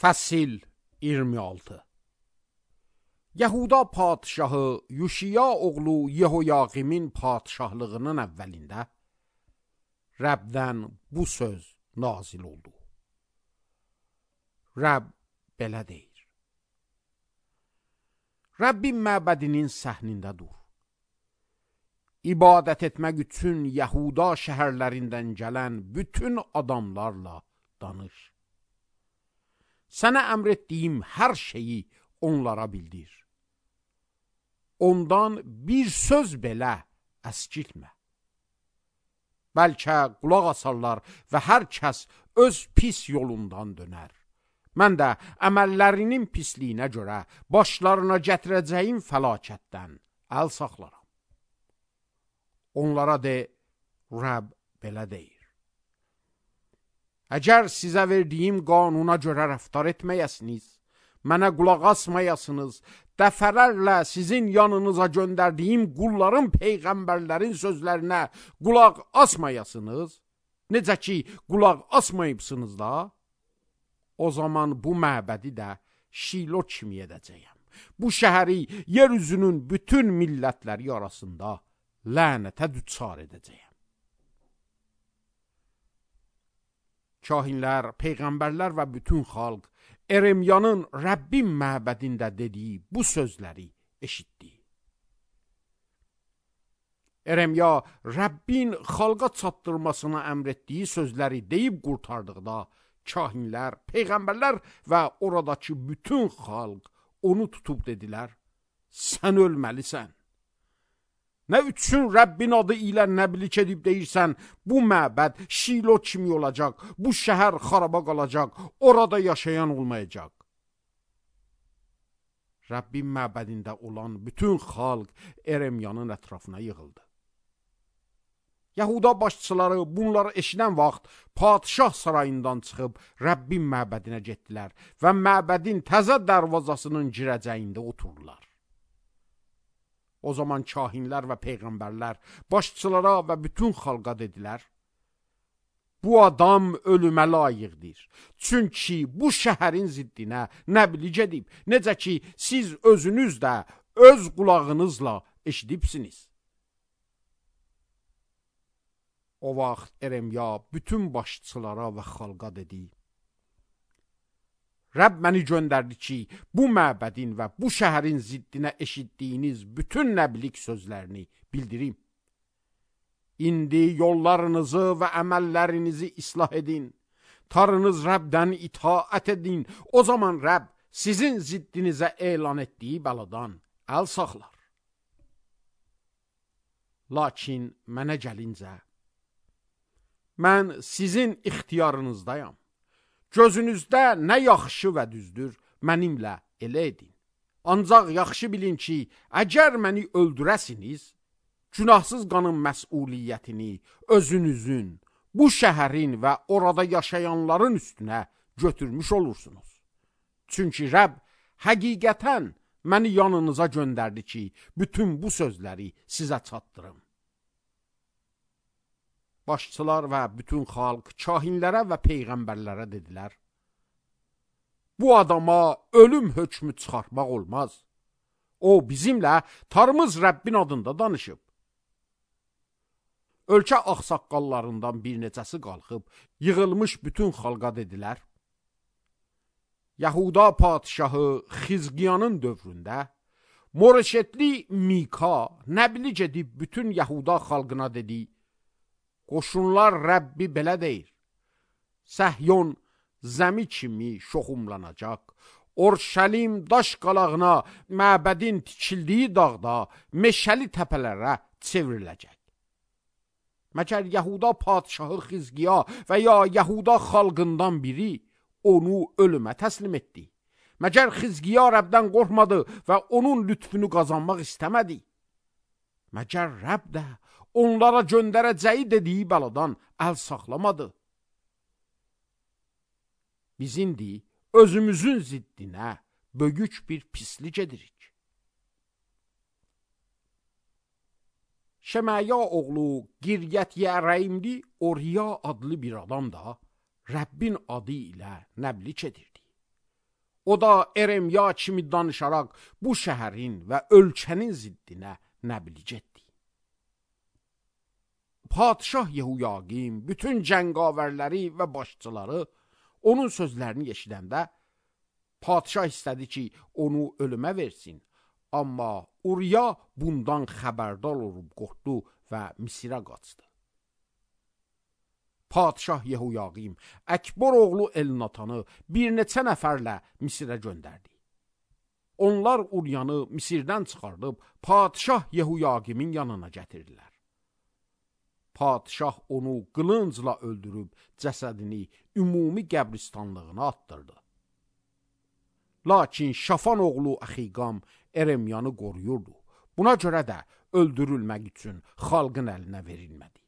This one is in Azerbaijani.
Fəsil 26. Yahuda padşahı Yuşiya oğlu Yehoyaqimin padşahlığının əvvəlində Rəbdən bu söz nazil oldu. Rəbb belə deyir: Rəbbin məbədinin səhnində dur. İbadət etmək üçün Yahuda şəhərlərindən gələn bütün adamlarla danış. Sənə əmr etdiyim hər şeyi onlara bildir. Ondan bir söz belə əskiltmə. Bəlkə qulaq asarlar və hər kəs öz pis yolundan dönər. Mən də əməllərinin pisliyinə görə başlarına gətirəcəyim fəlakətdən əl saxlaram. Onlara de, Rəbb belə deyir: Əgər sizə verdiyim qanuna görə rəftar etməyəsiniz, mənə qulaq asmayasınız, dəfələrlə sizin yanınıza göndərdiyim qulların, peyğəmbərlərin sözlərinə qulaq asmayasınız, necə ki qulaq asmayıbsınız da, o zaman bu məbədi də Şilo kimi edəcəyəm. Bu şəhəri yeryüzünün bütün millətləri arasında lənətə düçar edəcəyəm. Kahinlər, peyğəmbərlər və bütün xalq Eremyanın Rəbbin məbədində dediyi bu sözləri eşitdi. Eremya Rəbbin xalqa çatdırmasına əmr etdiyi sözləri deyib qurtardıqda kahinlər, peyğəmbərlər və oradakı bütün xalq onu tutub dedilər: Sən ölməlisən. Nə üçün Rəbbin adı ilə nəbilik edib deyirsən, bu məbəd Şilo kimi olacaq, bu şəhər xaraba qalacaq, orada yaşayan olmayacaq. Rəbbin məbədində olan bütün xalq Eremyanın ətrafına yığıldı. Yahuda başçıları bunları eşidən vaxt padşah sarayından çıxıb Rəbbin məbədinə getdilər və məbədin təzə darvazasının girəcəyində oturdular. O zaman kahinlər və peyğəmbərlər başçılara və bütün xalqa dedilər: Bu adam ölümə layiqdir. Çünki bu şəhərin ziddinə nəbilik edib, necə ki siz özünüz də öz qulağınızla eşidibsiniz. O vaxt Eremya bütün başçılara və xalqa dedi: Rəbb məni göndərdi ki, bu məbədin və bu şəhərin ziddinə eşitdiyiniz bütün nəbilik sözlərini bildirim. İndi yollarınızı və əməllərinizi islah edin. Tanrınız Rəbdən itaət edin. O zaman Rəbb sizin ziddinizə elan etdiyi bəladan əl saxlar. Lakin mənə gəlincə, mən sizin ixtiyarınızdayam. Gözünüzdə nə yaxşı və düzdür, mənimlə elə edin. Ancaq yaxşı bilin ki, əgər məni öldürəsiniz, günahsız qanın məsuliyyətini özünüzün, bu şəhərin və orada yaşayanların üstünə götürmüş olursunuz. Çünki Rəbb həqiqətən məni yanınıza göndərdi ki, bütün bu sözləri sizə çatdırım. Başçılar və bütün xalq kahinlərə və peyğəmbərlərə dedilər: Bu adama ölüm hökmü çıxartmaq olmaz. O bizimlə Tanrımız Rəbbin adında danışıb. Ölkə ağsaqqallarından bir neçəsi qalxıb yığılmış bütün xalqa dedilər: Yahuda padşahı Xizqiyanın dövründə Moreşetli Mika nəbilik edib bütün Yahuda xalqına dedi: Qoşunlar Rəbbi belə deyir: Səhyon zəmi kimi şoxumlanacaq, Orşəlim daş qalağına, məbədin tikildiyi dağda, meşəli təpələrə çevriləcək. Məgər Yahuda padşahı Xizqiya və ya Yahuda xalqından biri onu ölümə təslim etdi? Məgər Xizqiya Rəbdən qorxmadı və onun lütfünü qazanmaq istəmədi? Məgər Rəbb də onlara göndərəcəyi dediyi bəladan əl saxlamadı? Biz indi özümüzün ziddinə böyük bir pislik edirik. Şemaya oğlu Giryət Yəreimli Oriya adlı bir adam da Rəbbin adı ilə nəblik edirdi. O da Eremya kimi danışaraq bu şəhərin və ölkənin ziddinə nəblic etdi. Padişah Yehuyaqim bütün cəngavərləri və başçıları onun sözlərini eşidəndə padişah istədi ki, onu ölümə versin. Amma Uriya bundan xəbərdar olub qorxdu və Misirə qaçdı. Padişah Yehuyaqim Əkbor oğlu Elnatanı bir neçə nəfərlə Misirə göndərdi. Onlar Uriyanı Misirdən çıxardıb padişah Yehuyaqimin yanına gətirdilər. Padişah onu qılıncla öldürüb cəsədini ümumi qəbristanlığına atdırdı. Lakin Şafan oğlu Əxiqam Eremyanı qoruyurdu. Buna görə də öldürülmək üçün xalqın əlinə verilmədi.